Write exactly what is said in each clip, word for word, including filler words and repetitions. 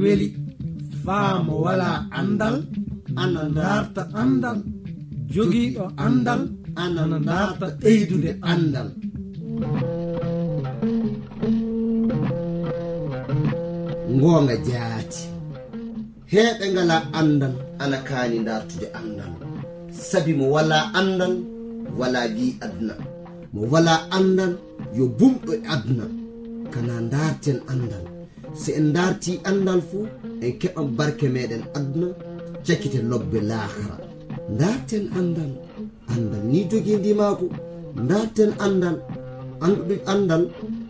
Weli, faa mo walaa anndal, ana ndaarta anndal. Jogiiɗo anndal, ana ndaarta ɓeydude anndal. Ngoonga jaati. Heɓe ngalaa anndal, ana kaani ndaartude anndal. Sabi mo walaa anndal, walaa wi aduna. Mo walaa anndal, yo bumɗo e aduna. Kana ndaarten anndal. So en ndaartii anndal fuu, en keɓan barke meɗen aduna, cakite lobbe laakara. Ndaarten anndal. Anndal ni jogii ndimaagu. Ndaarten anndal. Anndude anndal,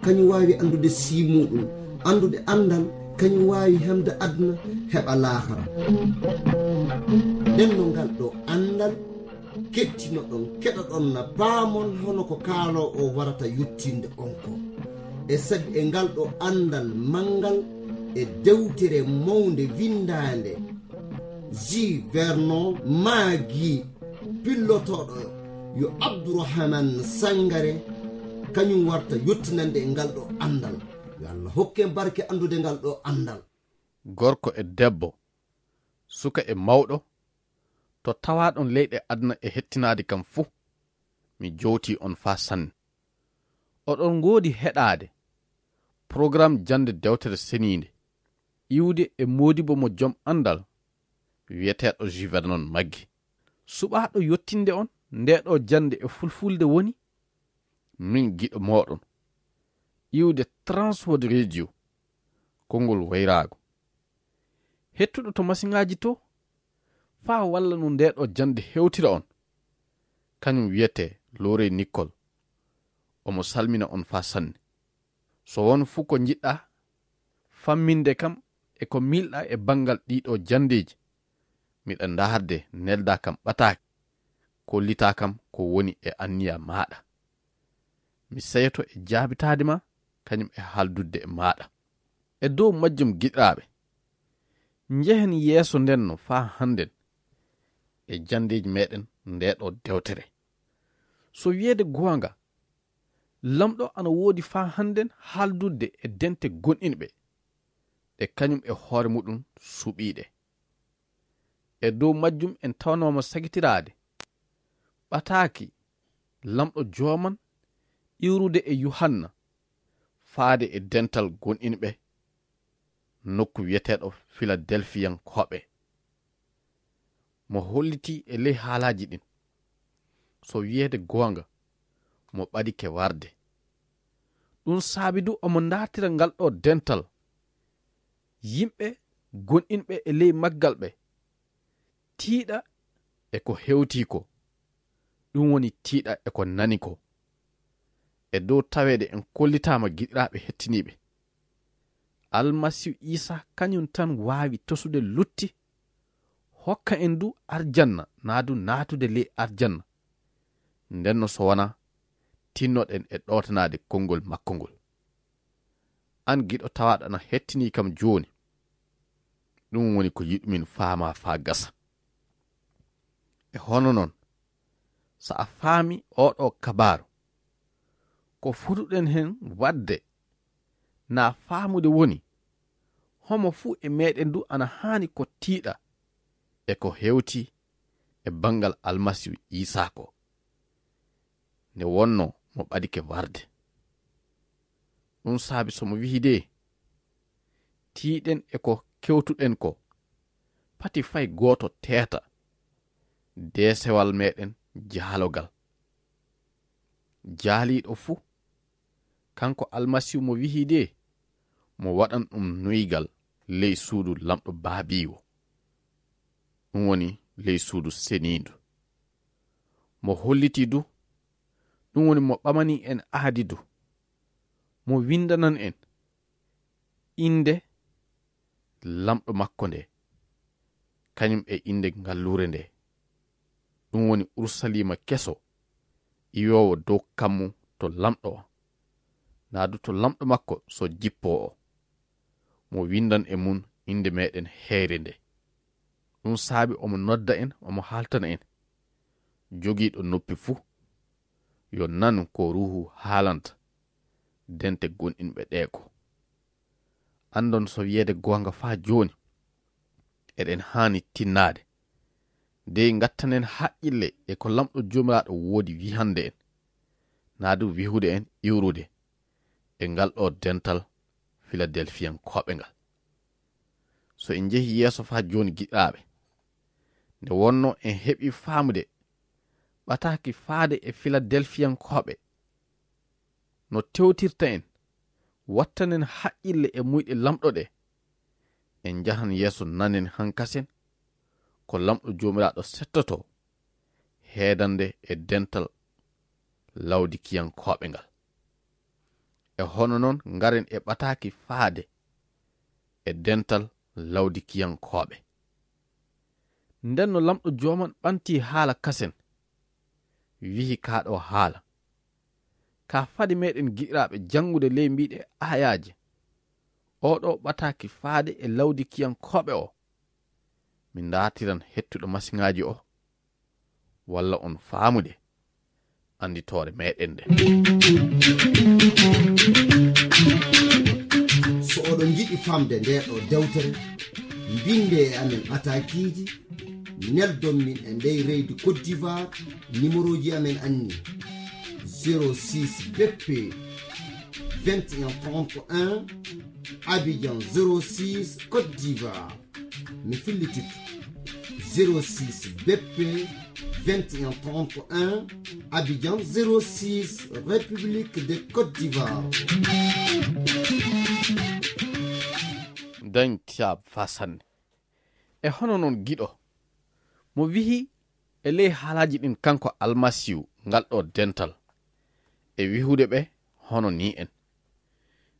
kañum waawi anndude sii muuɗum. Anndude anndal, kañum waawi hemde aduna, heɓa laakara. Nden no ngal ɗo anndal kettinoɗon, keɗoɗon na paamon hono ko kaaloo o warata yottinde on ko. E sabi e ngal ɗo anndal manngal e dewtere mawnde winndaande, Ji Vernon maagi pillotooɗo yo Abdourahmane Sangare, kañum warta yottinande e ngal ɗo anndal. Yo Allah hokken barke anndude ngal ɗo anndal. Gorko e debbo, suka e mawɗo, to tawaaɗon leyɗe aduna e hettinaade kam fuu, mi jowtii on faa sanne. Oɗon ngoodi heɗaade programme jannde dewtere seniinde, iwde e moodibo mo jom anndal, wiyeteeɗo Ji Vernon Maggi. Suɓaaɗo yottinde on nde ɗo jannde e fulfulde woni min giɗo mooɗon, iwde Transworld Radio, konngol wayraago. Hettuɗo to masiŋaaji to, faa walla no nde ɗo jannde hewtira on, kañum wiyetee Lorey Nikkol. Omo salmina on faa sanne. So won fuu ko njiɗɗaa famminde kam e ko miilɗaa e banngal ɗii ɗo janndeeji, miɗa ndaarde, neldaa kam ɓataake, kollitaa kam ko woni e anniya maaɗa. Mi seyoto e jaabitaade ma, kañum e haaldudde e maaɗa. E dow majjum, giɗiraaɓe, njehen yeeso nden no faa hannden e janndeeji meɗen nde ɗo dewtere. So wiyeede goonga, Lamɗo ana woodi faa hannden haaldudde e dente gonɗinɓe, ɗe kañum e hoore muɗum suɓiiɗe. E dow majjum en tawanooma sagitiraade ɓataaki Lamɗo jooman iwrude e Yuhanna faade e dental gonɗinɓe nokku wiyeteeɗo Filadelfiyankooɓe. Mo hollitii e ley haalaaji ɗin, so wiyeede goonga, mo ɓadike warde. Ɗum saabi du omo ndaartira ngal ɗo dental yimɓe gonɗinɓe e ley maggal ɓe, tiiɗa e ko hewtii ko, ɗum woni tiiɗa e ko nani ko. E dow taweede en kollitaama, giɗiraaɓe hettiniiɓe, Almasiihu Iisaa kañum tan waawi tosude lutti, hokka en du arjanna, naa du naatude ley arjanna. Ndenno so wonaa, tinnoɗen e ɗowtanaade konngol makko ngol. Aan giɗo tawaaɗo ana hettinii kam jooni, ɗum woni ko yiɗumin faamaa faa gasa. E hono non, so a faami oo ɗoo kabaaru, ko fotuɗen hen waɗde naa faamude woni, homo fuu e meɗen du ana haani ko tiiɗa e ko hewti e banngal Almasiihu Iisaa ko, nde wonnoo mo ɓadike warde. Ɗum saabi so mo wi'i de, tiiɗen e ko kewtuɗen ko, pati fay gooto teeta deesewal meɗen jaalogal. Jaaliiɗo fuu, kanko Almasiihu mo wi'i de, mo waɗan ɗum nuygal ley suudu Lamɗo Baabiiwo, ɗum woni ley suudu seniindu. Mo hollitii du, ɗum woni mo ɓamanii en aadi du, mo winndanan en innde Lamɗo makko nde, kañum e innde ngalluure nde, ɗum woni Urusaliima keso, iwoowo dow kammu to Lamɗo o, naa du to Lamɗo makko so jippoo o, mo winndan e mum innde meɗen heyre nde. Ɗum saabi omo nodda en, omo haaltana en, jogiiɗo noppi fuu, yo nanu ko Ruuhu haalanta dente gonɗinɓe ɗee ko. anndon so wiyeede goonga faa jooni, eɗen haani tinnaade. Dey ngattanen haqqille e ko Laamɗo Joomiraaɗo woodi wihande en, naa du wihude en iwrude e ngal ɗo dental Filadelfiyankooɓe ngal. So en njehi yeeso faa jooni, giɗaaɓe, nde wonno en heɓi faamude ɓataaki faade e Filadelfiyankooɓe no tewtirta en, wattanen haqqille e muyɗe Laamɗo ɗe, en njahan yeeso, nanen hankasen ko Laamɗo Joomiraaɗo settotoo heedande e dental Lawdikiyankooɓe ngal. E hono noon, ngaren e ɓataaki faade e dental Lawdikiyankooɓe. Nden no Laamɗo Jooman ɓanti haala kasen, wihi kaa ɗo haala. Kaa fade meɗen, giɗiraaɓe, janngude ley mbiiɗe aayaaje oo ɗo ɓataaki faade e Lawdikiyankooɓe o, mi ndaartiran hettuɗo masiŋaaji o, walla on faamude annditoore meɗen nde. So oɗon njiɗi famde nde ɗo dewtere, mbinde e amen ɓataakiiji, neldon min e ndey leydi Côte d'Ivoire, numéroji amen anni: zéro six B P vingt et un trente et un, Abidjan zéro six, Côte d'Ivoire. Mi fillititto: zéro six B P vingt et un trente et un, Abidjan zéro six, République de Côte d'Ivoire. Dañ tiyaab faa sanne. E hono noon, giɗo mo wihi e ley haalaaji ɗin, kanko Almasiihu, ngal ɗo dental, e wihude ɓe hono nii en: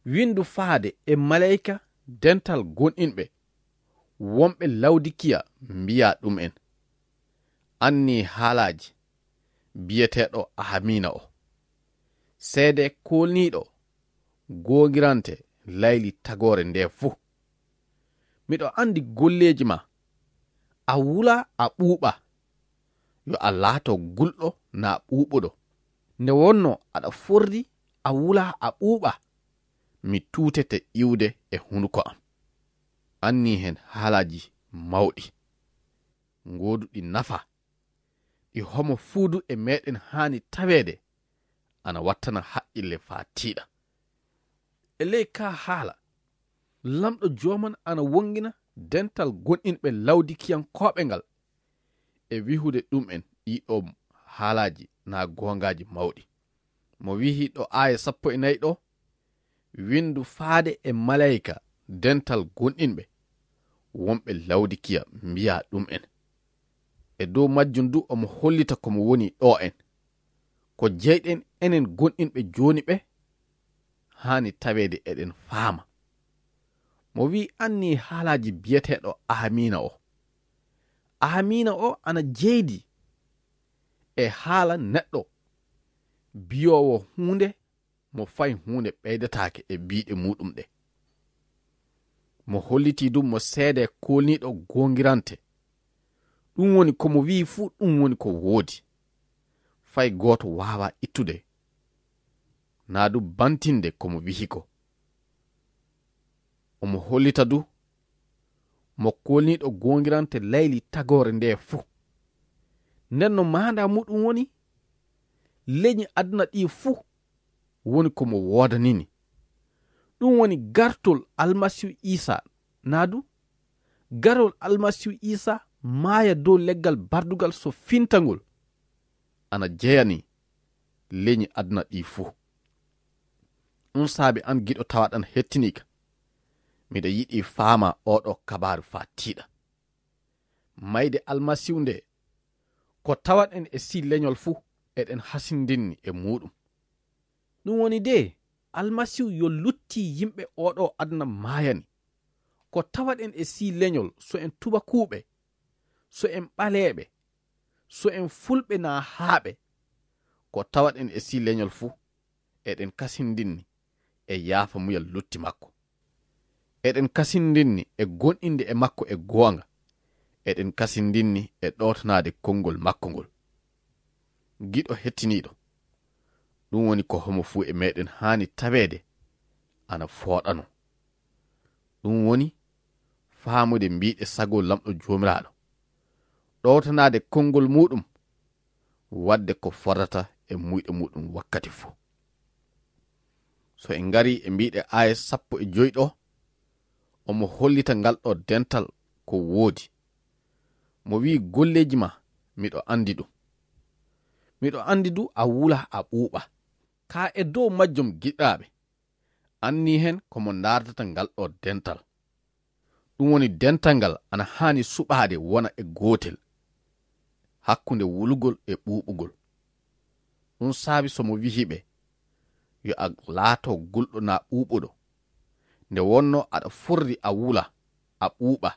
Winndu faade e maleyka dental gonɗinɓe wonɓe Lawdikiya, mbiyaa ɗum'en: Annii haalaaji biyeteeɗo Ahamiina o, seedee koolniiɗo goongirante layli tagoore ndee fuu. Miɗo anndi golleeji maa, a wulaa a ɓuuɓaa, yo a laato gulɗo naa ɓuuɓuɗo. Nde wonnoo aɗa forri, a wulaa a ɓuuɓaa, mi tuutete iwde e hunuko am. Annii heen haalaaji mawɗi, gooduɗi nafa, ɗi homo fuu du e meɗen haani taweede, ana wattana haqqille faa tiiɗa. E ley kaa haala, Laamɗo Jooman ana wonngina dental gonɗinɓe Lawdikiyankooɓe ngal e wihude ɗum'en ɗii ɗoo haalaaji naa goongaaji mawɗi. Mo wihi ɗo aaya sappo e nayi ɗo: Winndu faade e maleyka dental gonɗinɓe wonɓe Lawdikiya, mbiyaa ɗum'en. E dow majjum du omo hollita ko mo woni ɗo en. Ko jeyɗen enen gonɗinɓe jooni ɓe, haani taweede eɗen faama. Mo wi'i annii haalaaji biyeteeɗo Ahamiina o. Ahamiina o ana jeydi e haala neɗɗo biyoowo huunde mo fay huunde ɓeydataake e biiɗe muuɗum ɗe. Mo hollitii du mo seedee koolniiɗo goongirante. Ɗum woni ko mo wi'i fuu ɗum woni ko woodi. Fay gooto waawaa ittude naa du bantinde ko mo wi'i ko. Omo hollita du mo koolniiɗo goongirante layli tagoore ndee fuu. Nden no maandaa muuɗum woni, leñi aduna ɗii fuu woni ko mo woodanini. Ɗum woni gartol Almasiihu Iisaa, naa du garol Almasiihu Iisaa maaya dow leggal bardugal so fintangol ana jeyani leñi aduna ɗii fuu. Ɗum saabi an giɗo tawaɗan hettiniika, miɗa yiɗi faamaa oo ɗoo kabaaru faa tiiɗa. Mayde Almasiihu nde, ko tawaɗen e sii leñol fuu, eɗen hasindinni e muuɗum. Ɗum woni de, Almasiihu yo lutti yimɓe oo ɗoo aduna maayani. Ko tawaɗen e sii leñol, so en tubakuuɓe, so en ɓaleeɓe, so en fulɓe naa haaɓe, ko tawaɗen e sii leñol fuu, eɗen kasindinni e yaafamuyal lutti makko. Eɗen kasindinni e gonɗinde e makko e goonga. Eɗen kasindinni e ɗowtanaade konngol makko ngol. Giɗo hettiniiɗo, ɗum woni ko homo fuu e meɗen haani taweede ana fooɗanoo. Ɗum woni faamude mbiiɗe sago Laamɗo Joomiraaɗo, ɗowtanaade konngol muuɗum, waɗde ko fotata e muyɗe muuɗum wakkati fuu. So en ngarii e mbiiɗe aaya sappo e joy ɗo, omo hollita ngal ɗo dental ko woodi. Mo wi'i, "Golleeji ma, miɗo anndi ɗum. Miɗo anndi du a wula a ɓuuɓa." Ka e dow majjum, giɗaaɓe, anni heen ko mo ndaardata ngal ɗo dental. Ɗum woni dental ngal ana haani suɓaade wona e gootel hakkunde wulugol e ɓuuɓugol. Ɗum saabi so mo wihi ɓe, "Yo a laato gulɗo naa ɓuuɓuɗo. Nde wonno aɗa forri a wula, a ɓuuɓa,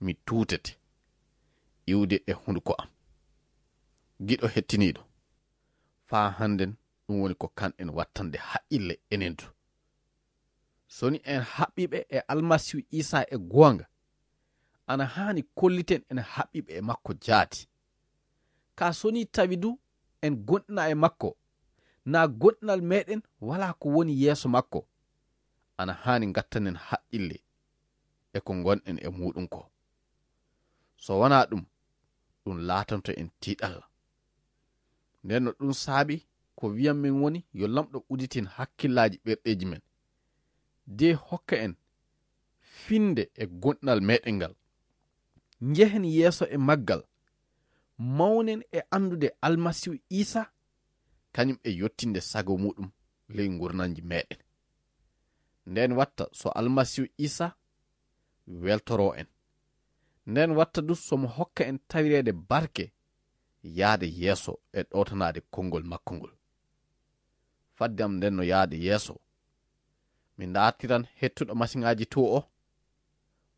mi tuutete iwde e hunduko am." Giɗo hettiniiɗo, faa hannden ɗum woni ko kanɗen wattande haqqille enen du. So ni en haɓɓiiɓe e Almasiihu Iisaa e goonga, ana haani kolliten en haɓɓiiɓe e makko jaati. Kaa so ni tawi du en gonɗina e makko, naa gonɗinal meeɗen walaa ko woni yeeso makko, ana haani ngattanen haqqille e ko ngonɗen e muuɗum ko. So wanaa ɗum, ɗum laatanto en tiiɗalla. Nden no ɗum saabi ko wiyan min woni yo Laamɗo udditin hakkillaaji ɓerɗeeji men, de hokka en finde e gonɗinal meeɗen ngal. Njehen yeeso e maggal, mawnen e anndude Almasiihu Iisaa, kañum e yottinde sago muuɗum ley ngurndanji meeɗen. Nden watta so Almasiihu Iisaa weltoroo en. Nden watta du so mo hokka en tawireede barke yaade yeeso e ɗowtanaade konngol makko ngol. Fadde am nden no yaade yeeso, mi ndaartiran hettuɗo masiŋaaji to o,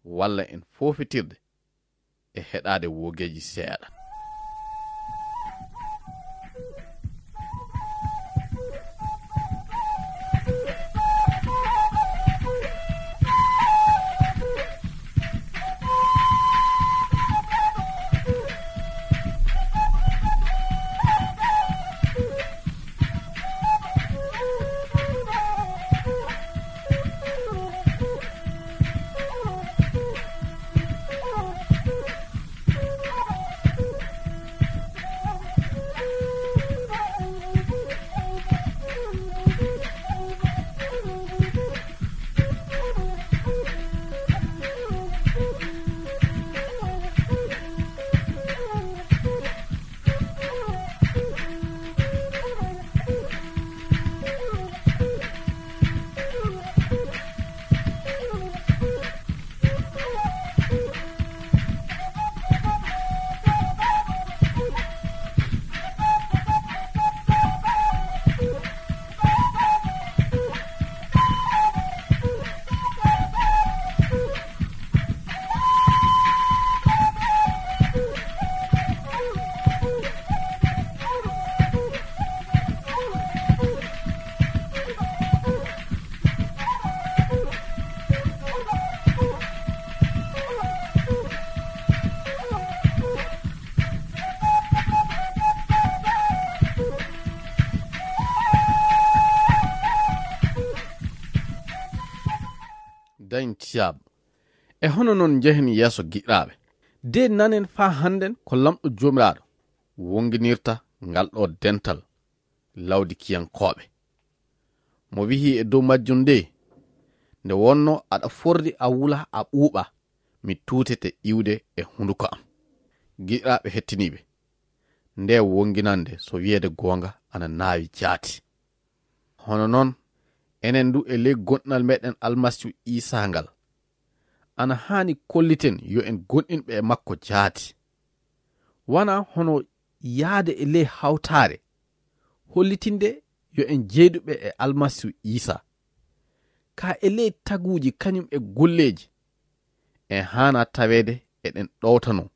walla en foofitirde e heɗaade woogeeji seeɗa. Dañ tiyaab. E hono noon njehen yeeso giɗaaɓe. De nanen faa hannden ko Laamɗo Joomiraaɗo wonginirta ngal ɗo dental Lawdikiyankooɓe. Mo wihi e dow majjum nde, "Nde wonno aɗa forri a wula a ɓuuɓa, mi tuutete iwde e hunduko am." Giɗaaɓe hettiniiɓe, nde wonginande so wiyeede goonga ana naawi jaati. Hono noon, enen du e ley gonɗinal meeɗen Almasiihu Iisaa ngal, ana haani kolliten yo en gonɗinɓe e makko jaati. Wanaa hono yaade e ley hawtaare, hollitinde yo en jeyduɓe e Almasiihu Iisaa. Kaa e ley taguuji kañum e golleeji, en haana taweede eɗen ɗowtanoo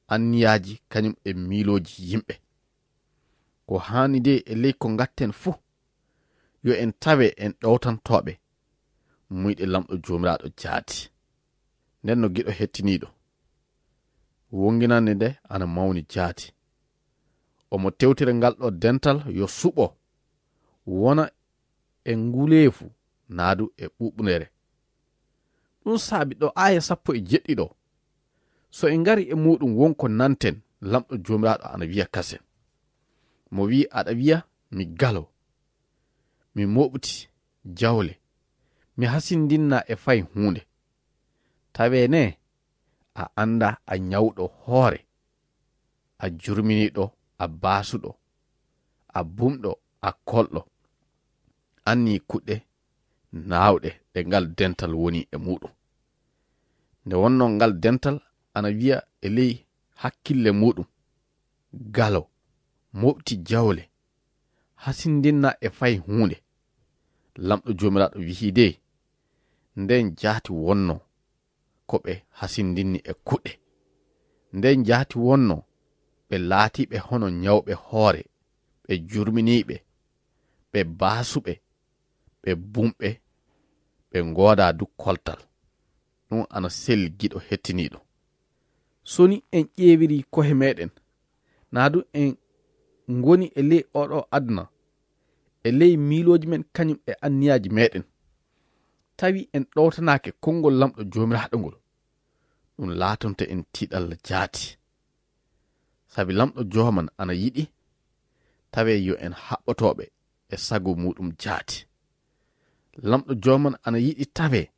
anniyaaji kañum e miilooji yimɓe. Ko haani de e ley ko ngatten fuu, yo en tawe en ɗowtantooɓe muyɗe Laamɗo Joomiraaɗo jaati. Nden no giɗo hettiniiɗo, wonginande nde ana mawni jaati. Omo tewtira ngal ɗo dental yo suɓo, wona e nguleefu naadu e ɓuuɓnere. Ɗum saabi ɗo aaya sappo e jeɗɗi ɗo, so en ngari e muuɗum, won ko nanten, Laamɗo Joomiraaɗo ana wiya kasen. Mo wi'i, aɗa wiya, mi galo, mi mooɓti jawle, mi hasindinna e fay huunde. Tawee ne, a annda a ñawɗo hoore, a jurminiiɗo, a baasuɗo, a bumɗo, a kolɗo. Anni kuɗɗe naawɗe ɗe ngal dental woni e muuɗum. Nde wonno ngal dental ana wiya e ley hakkille muuɗum, galo, mooɓti jawle, hasindinna e fay huunde. Laamɗo Joomiraaɗo wi'i de, nden jaati wonno ko ɓe hasindinni e kuɗɗe. Nden jaati wonno ɓe laatiiɓe hono ñawɓe hoore, ɓe jurminiiɓe, ɓe baasuɓe, ɓe bumɓe, ɓe ngoodaa du koltal. Ɗum ana selli giɗo hettiniiɗo. So ni en ƴeewirii ko'e meɗen, naa du en ngoni e ley oo ɗoo aduna, e ley miilooji men kañum e anniyaaji meɗen, tawi en ɗowtanaake konngol Laamɗo Joomiraaɗo ngol, ɗum laatonto en tiiɗalla jaati. Sabi Laamɗo Jooman ana yiɗi tawee yo en haɓɓotooɓe e sago muuɗum jaati. Laamɗo Jooman ana yiɗi tawee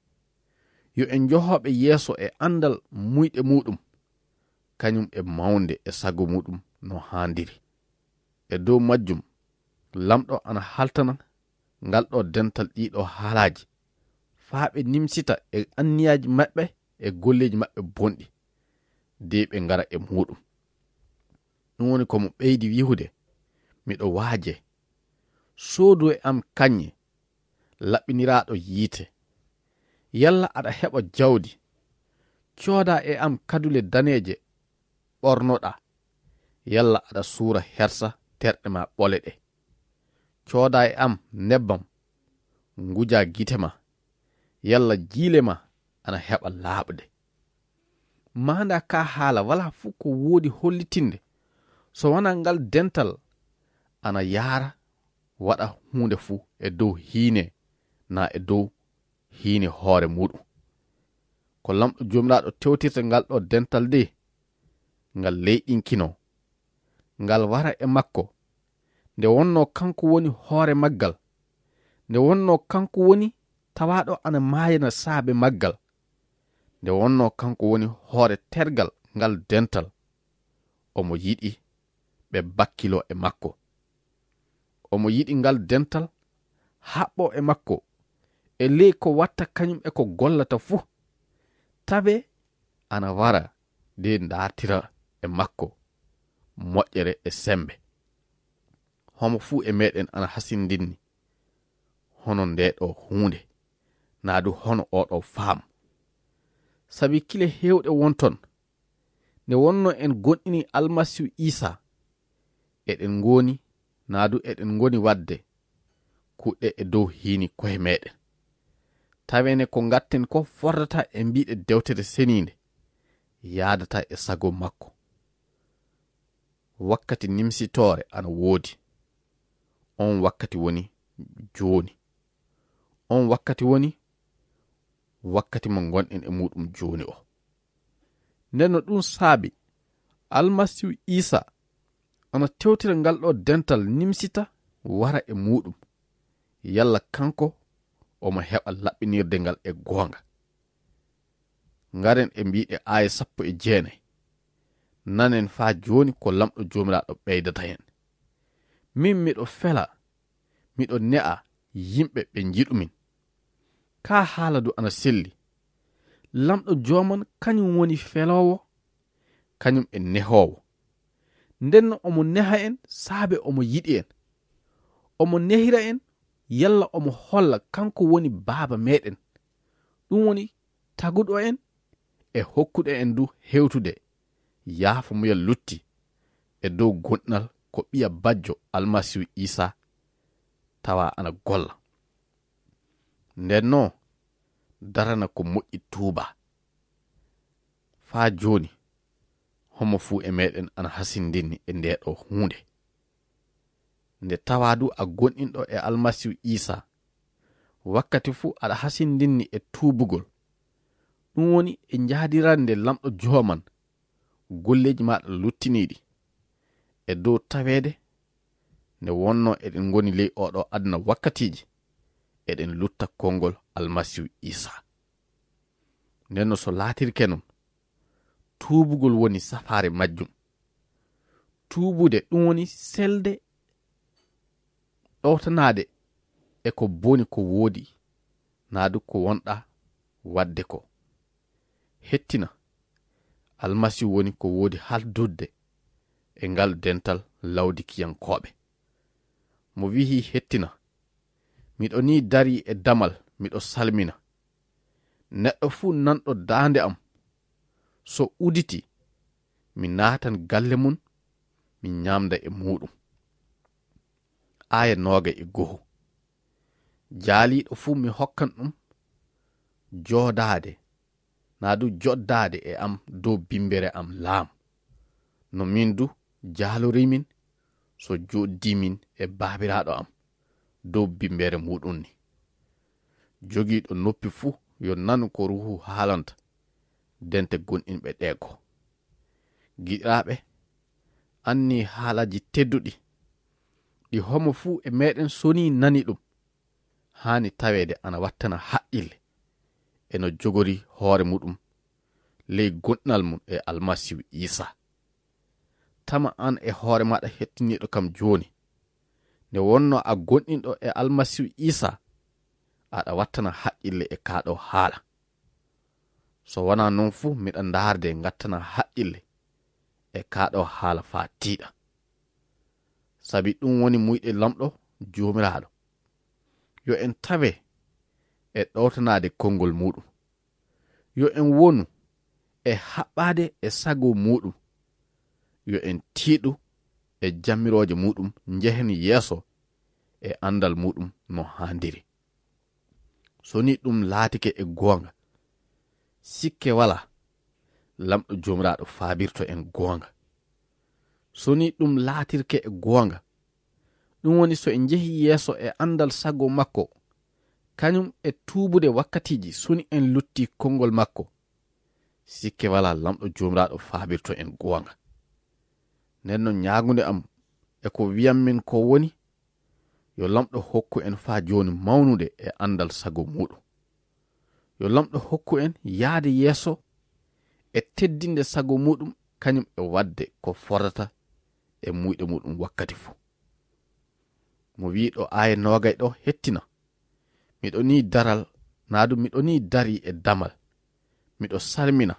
yo en njohooɓe yeeso e anndal muyɗe muuɗum, kañum e mawnde e sago muuɗum no haandiri. E dow majjum, Laamɗo ana haltana ngal ɗoo dental ɗii ɗoo haalaaji, faa ɓe nimsita e anniyaaji maɓɓe e golleeji maɓɓe bonɗi, de ɓe ngara e muuɗum. Ɗum woni ko mo ɓeydi wi'ude, miɗo waaje, soodu e am kañe laɓɓiniraaɗo yiite. Yalla aɗa heɓa jawdi, cooda e am kadule daneeje ɓornoɗaa. Yalla aɗa suura hersa terɗe ma ɓole ɗe. Cooda e am nebbam, nguja gite ma. Yalla jiile ma ana heɓa laaɓde. Maanda ka haala walaa fuu ko woodi hollitinde, so wanaa ngal dental ana yaara waɗa huunde fuu e dow hiine, naa e dow hiine hoore muuɗum. Ko Laamɗo Joomiraaɗo tewtirta ngal ɗoo dental de, ngal leyɗinkinoo, ngal wara e makko, nde wonnoo kanko woni hoore maggal, nde wonnoo kanko woni tawaaɗo ana maayana saabe maggal, nde wonnoo kanko woni hoore tergal ngal dental, omo yiɗi ɓe bakkiloo e makko. Omo yiɗi ngal dental haɓɓoo e makko e ley ko watta kañum e ko gollata fuu. Tabe ana wara de ndaartira e makko moƴƴere e sembe. Homo fuu e meɗen ana hasindinni hono nde ɗo huunde, naa du hono oo ɗo faamu. Sabi kile heewɗe wonton, nde wonno en gonɗini Almasiihu Iisaa, eɗen ngoni, naa du eɗen ngoni waɗde kuɗɗe e dow hiini ko'e meɗen. Tawene ko ngatten ko fordata e mbiɗe Dewtere Seniinde, yaadata e sago makko. Wakkati nimsitoore ana woodi. On wakkati woni jooni. On wakkati woni wakkati mo ngonɗen e muuɗum jooni o. Nden no ɗum saabi, Almasiihu Iisaa ana tewtira ngal ɗo dental nimsita wara e muuɗum. Yalla kanko omo heɓa laɓɓinirde ngal e goonga. Ngaren e mbiɗe aaya sappo e jeenay. Nanen faa jooni ko Laamɗo Joomiraaɗo ɓeydata hen. Min miɗo fela, miɗo ne'a yimɓe ɓe njiɗumin. Kaa haala du ana selli. Laamɗo Jooman kañum woni feloowo, kañum e nehoowo. Nden no omo neha en saabe omo yiɗi en. Omo nehira en yalla omo holla kanko woni Baaba meɗen. Ɗum woni taguɗo en e hokkuɗo en du hewtude yaafo muya lutti e dow gonɗinal ko ɓiya bajjo Almasiihu Iisaa tawa ana golla. Nden no darana ko moƴƴi tuuba. Faa jooni, homo fuu e meɗen ana hasindinni e nde ɗo huunde. Nde tawaa du a gonɗinɗo e Almasiihu Iisaa, wakkati fuu aɗa hasindinni e tuubugol, Ɗum woni e njahdirande Laamɗo Jooman golleeji maaɗa luttiniiɗi. E dow taweede nde wonnoo eɗen ngoni ley oo ɗoo aduna wakkatiiji, eɗen lutta konngol Almasiihu Iisaa. Nden no so laatirke noon, tuubugol woni safaare majjum. Tuubude ɗum woni selde ɗowtanaade e ko boni ko woodi, naa du ko wonɗa waɗde ko. Hettina, Almasiihu woni ko woodi haaldude e ngal dental Lawdikiyankooɓe. Mo wi'i hettina, miɗo nii darii e damal, miɗo salmina. Neɗɗo fuu nanɗo daande am, so uditi, mi naatan galle mum, mi ñaamda e muuɗum. Aaya noogay e go'o. Jaaliiɗo fuu mi hokkan ɗum joodaade, naa du joddaade e am dow bimbere am laam. No min du jaalorimin so jooddii min e Baabiraaɗo am dow bimbere muuɗum ni. Jogiiɗo noppi fuu yo nanu ko Ruuhu haalanta dente gonɗinɓe ɗee goo. Giɗiraaɓe, annii haalaaji tedduɗi, ɗi homo fuu e meɗen so nii nani ɗum, haani taweede ana wattana haqqille, e no jogori hoore muɗum ley gonɗinal mum e Almasiihu Iisaa. Tama aan e hoore maaɗa hettiniiɗo kam jooni, nde wonnoo a gonɗinɗo e Almasiihu Iisaa, aɗa wattana haqqille e kaa ɗoo haala. So wanaa noon fu, miɗa ndaarde ngattana haqqille e kaa ɗoo haala faa tiiɗa. Sabi ɗum woni muuyɗe Laamɗo Joomiraaɗo. Yo en tawe e ɗowtanaade konngol muuɗum. Yo en wonu e haɓɓaade e sago muuɗum. Yo en tiiɗu e jamirooje muuɗum, njehen yeeso e anndal muuɗum no haandiri. So ni ɗum laatike e goonga, sikke walaa, Laamɗo Joomiraaɗo faabirto en goonga. So ni ɗum laatirke e goonga, ɗum woni so en njehii yeeso e anndal sago makko, kañum e tuubude wakkatiiji, so ni en luttii konngol makko, sikke walaa, Laamɗo Joomiraaɗo faabirto en goonga. Nden non ñaagunde am e ko wi'ammi ko woni, yo Laamɗo hokku en faa jooni mawnude e anndal sago muuɗum. Yo Laamɗo hokku en yaade yeeso e teddinde sago muuɗum, kañum e waɗde ko fotata e muuyɗe muuɗum wakkati fuu. Mo wi'i ɗo aaya noogay ɗo, hettina. Miɗo nii daral, naa ɗum miɗo nii darii e damal. Miɗo salmina.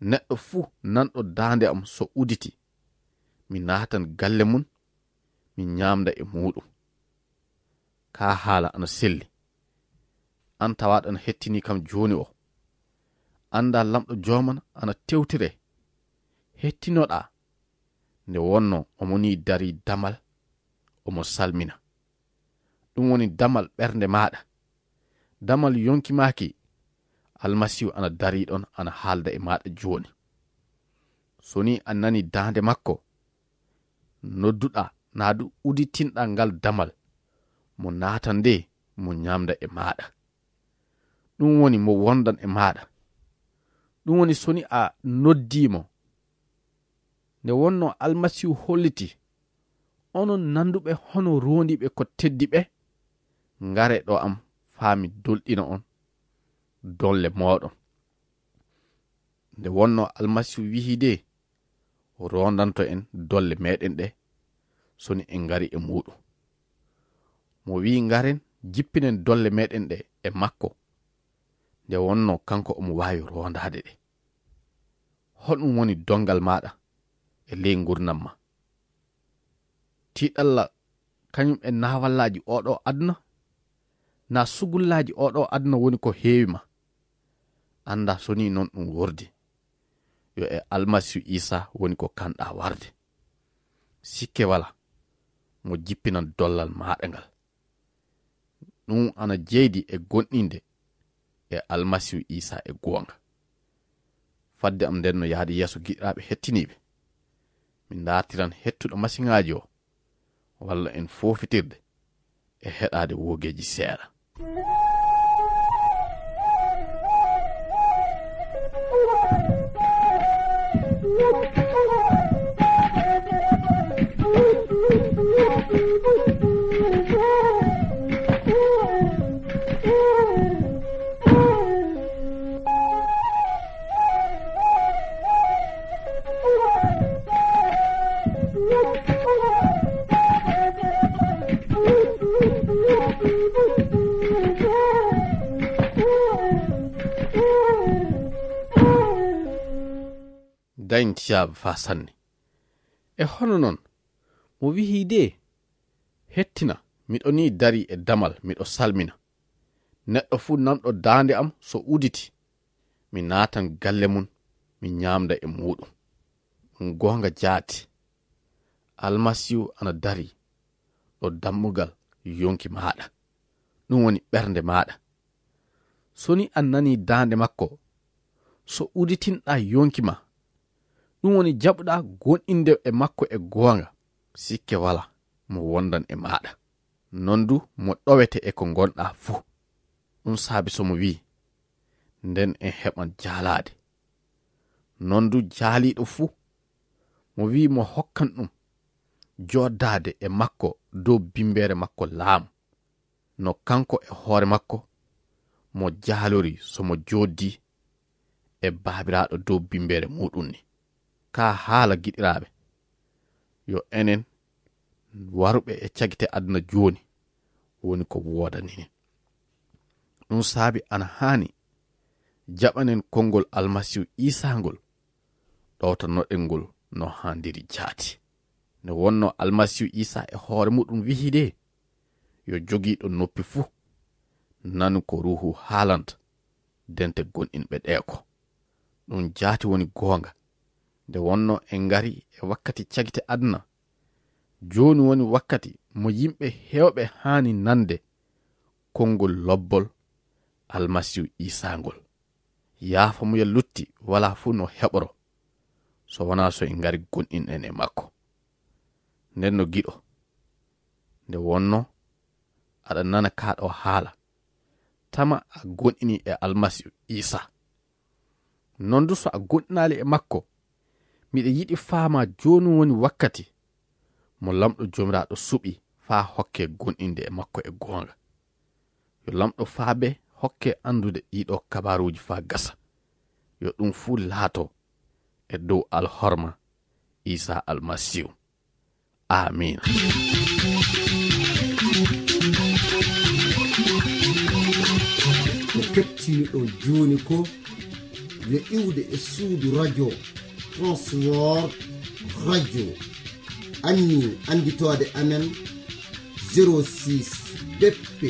Neɗɗo fuu nanɗo daande am so uditi, mi naatan galle mum, mi ñaamda e muuɗum. Kaa haala ana selli. Aan tawaaɗo ana hettinii kam jooni o. Anndaa Laamɗo Jooman ana tewtire. Hettinoɗaa. Nde wonnoo omo nii darii damal, omo salmina. Ɗum woni damal ɓernde maaɗa. Damal yonki maaki, Almasiihu ana darii ɗon, ana haalda e maaɗa jooni. So ni a nani daande makko, nodduɗaa, naa du uditinɗaa ngal damal, mo naatan nde, mo ñaamda e maaɗa. Ɗum woni mo wondan e maaɗa. Ɗum woni so ni a noddii mo. Nde wonnoo Almasiihu holliti, onon nanduɓe hono roondiiɓe ko teddi ɓe, ngare ɗo am faa mi dolɗina on dolle mooɗon. Nde wonnoo Almasiihu wi'i de, roondanto en dolle meɗen ɗe, so ni en ngari e muuɗum. Mo wi'i ngaren, jippinen dolle meɗen ɗe e makko. Nde wonnoo kanko omo waawi roondaade ɗe. Honɗum woni donngal maaɗa e ley ngurndan ma? Tiiɗalla kañum e naawallaaji oo ɗoo aduna? Naa sugullaaji oo ɗoo aduna woni ko heewi ma? Anndaa so ni non ɗum wordi. Yo e Almasiihu Iisaa woni ko kanɗaa warde. Sikke walaa, mo jippinan dollal maaɗa ngal. Ɗum ana jeydi e gonɗinde e Almasiihu Iisaa e goonga. Fadde am nden no yaade yeeso, giɗiraaɓe hettiniiɓe, min ndaartiran hettuɗo masiŋaaji o, walla en foofitirde e heɗaade woogeeji seeɗa. Ain tiyaaɓe faa sanne. E hono non, mo wi'i de, hettina, miɗo nii darii e damal, miɗo salmina. Neɗɗo fuu nanɗo daande am so uditi, mi naatan galle mum, mi nyaamda e muuɗum. Ɗum goonga jaati. Almasiihu ana darii ɗo dammugal yonki maaɗa. Ɗum woni ɓernde maaɗa. So ni a nanii daande makko, so uditinɗaa yonki ma, ɗum woni jaɓuɗaa gonɗinde e makko e goonga, sikke walaa mo wondan e maaɗa. Non du mo ɗowete e ko ngonɗaa fuu. Ɗum saabi so mo wi'i, nden en heɓan jaalaade. Non du jaaliiɗo fuu, mo wi'i mo hokkan ɗum joodaade e makko dow bimbeere makko laamu, no kanko e hoore makko mo jaalori so mo jooddii e Baabiraaɗo dow bimbeere muuɗum ni. Kaa haala, giɗiraaɓe, yo enen waruɓe e cagite aduna jooni woni ko woodaninen. Ɗum saabi ana haani jaɓanen konngol Almasiihu Iisaa ngol, ɗowtanoɗen ngol no haandiri jaati. Nde wonnoo Almasiihu Iisaa e hoore muɗum wi'i de, yo jogiiɗo noppi fuu nanu ko Ruuhu haalanta dente gonɗinɓe ɗee ko. Ɗum jaati woni goonga. Nde wonnoo en ngari e wakkati cagite aduna, jooni woni wakkati mo yimɓe heewɓe haani nande konngol lobbol Almasiihu Iisaa ngol. Yaafamuya lutti walaa fuu no heɓoro, so wanaa so en ngari gonɗinɗen e makko. Nden no giɗo, nde wonnoo aɗa nana kaa ɗoo haala, tama a gonɗinii e Almasiihu Iisaa. Non du so a gonɗinaali e makko, miɗa yiɗi faamaa jooni woni wakkati mo Laamɗo Joomiraaɗo suɓi faa hokke gonɗinde e makko e goonga. Yo Laamɗo faabe hokke anndude ɗiɗo kabaaruuji faa gasa. Yo ɗum fuu laato e dow alhorma Iisaa Almasiihu. Aamiin. Ko kettiniɗon jooni ko yo iwde e suudu radio Transworld Radio. Anni annditoode amen zéro six B P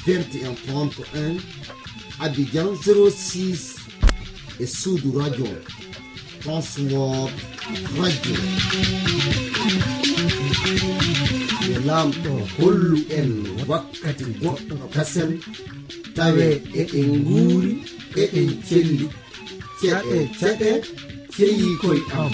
vingt et un trente et un, Abidjan zéro six, e suudu radio Transworld Radio. Yo Laamɗo hollu en wakkati goɗɗo kasen, tawe eɗen nguuri, eɗen celli. Caɗe, caɗe, ceyii koy am.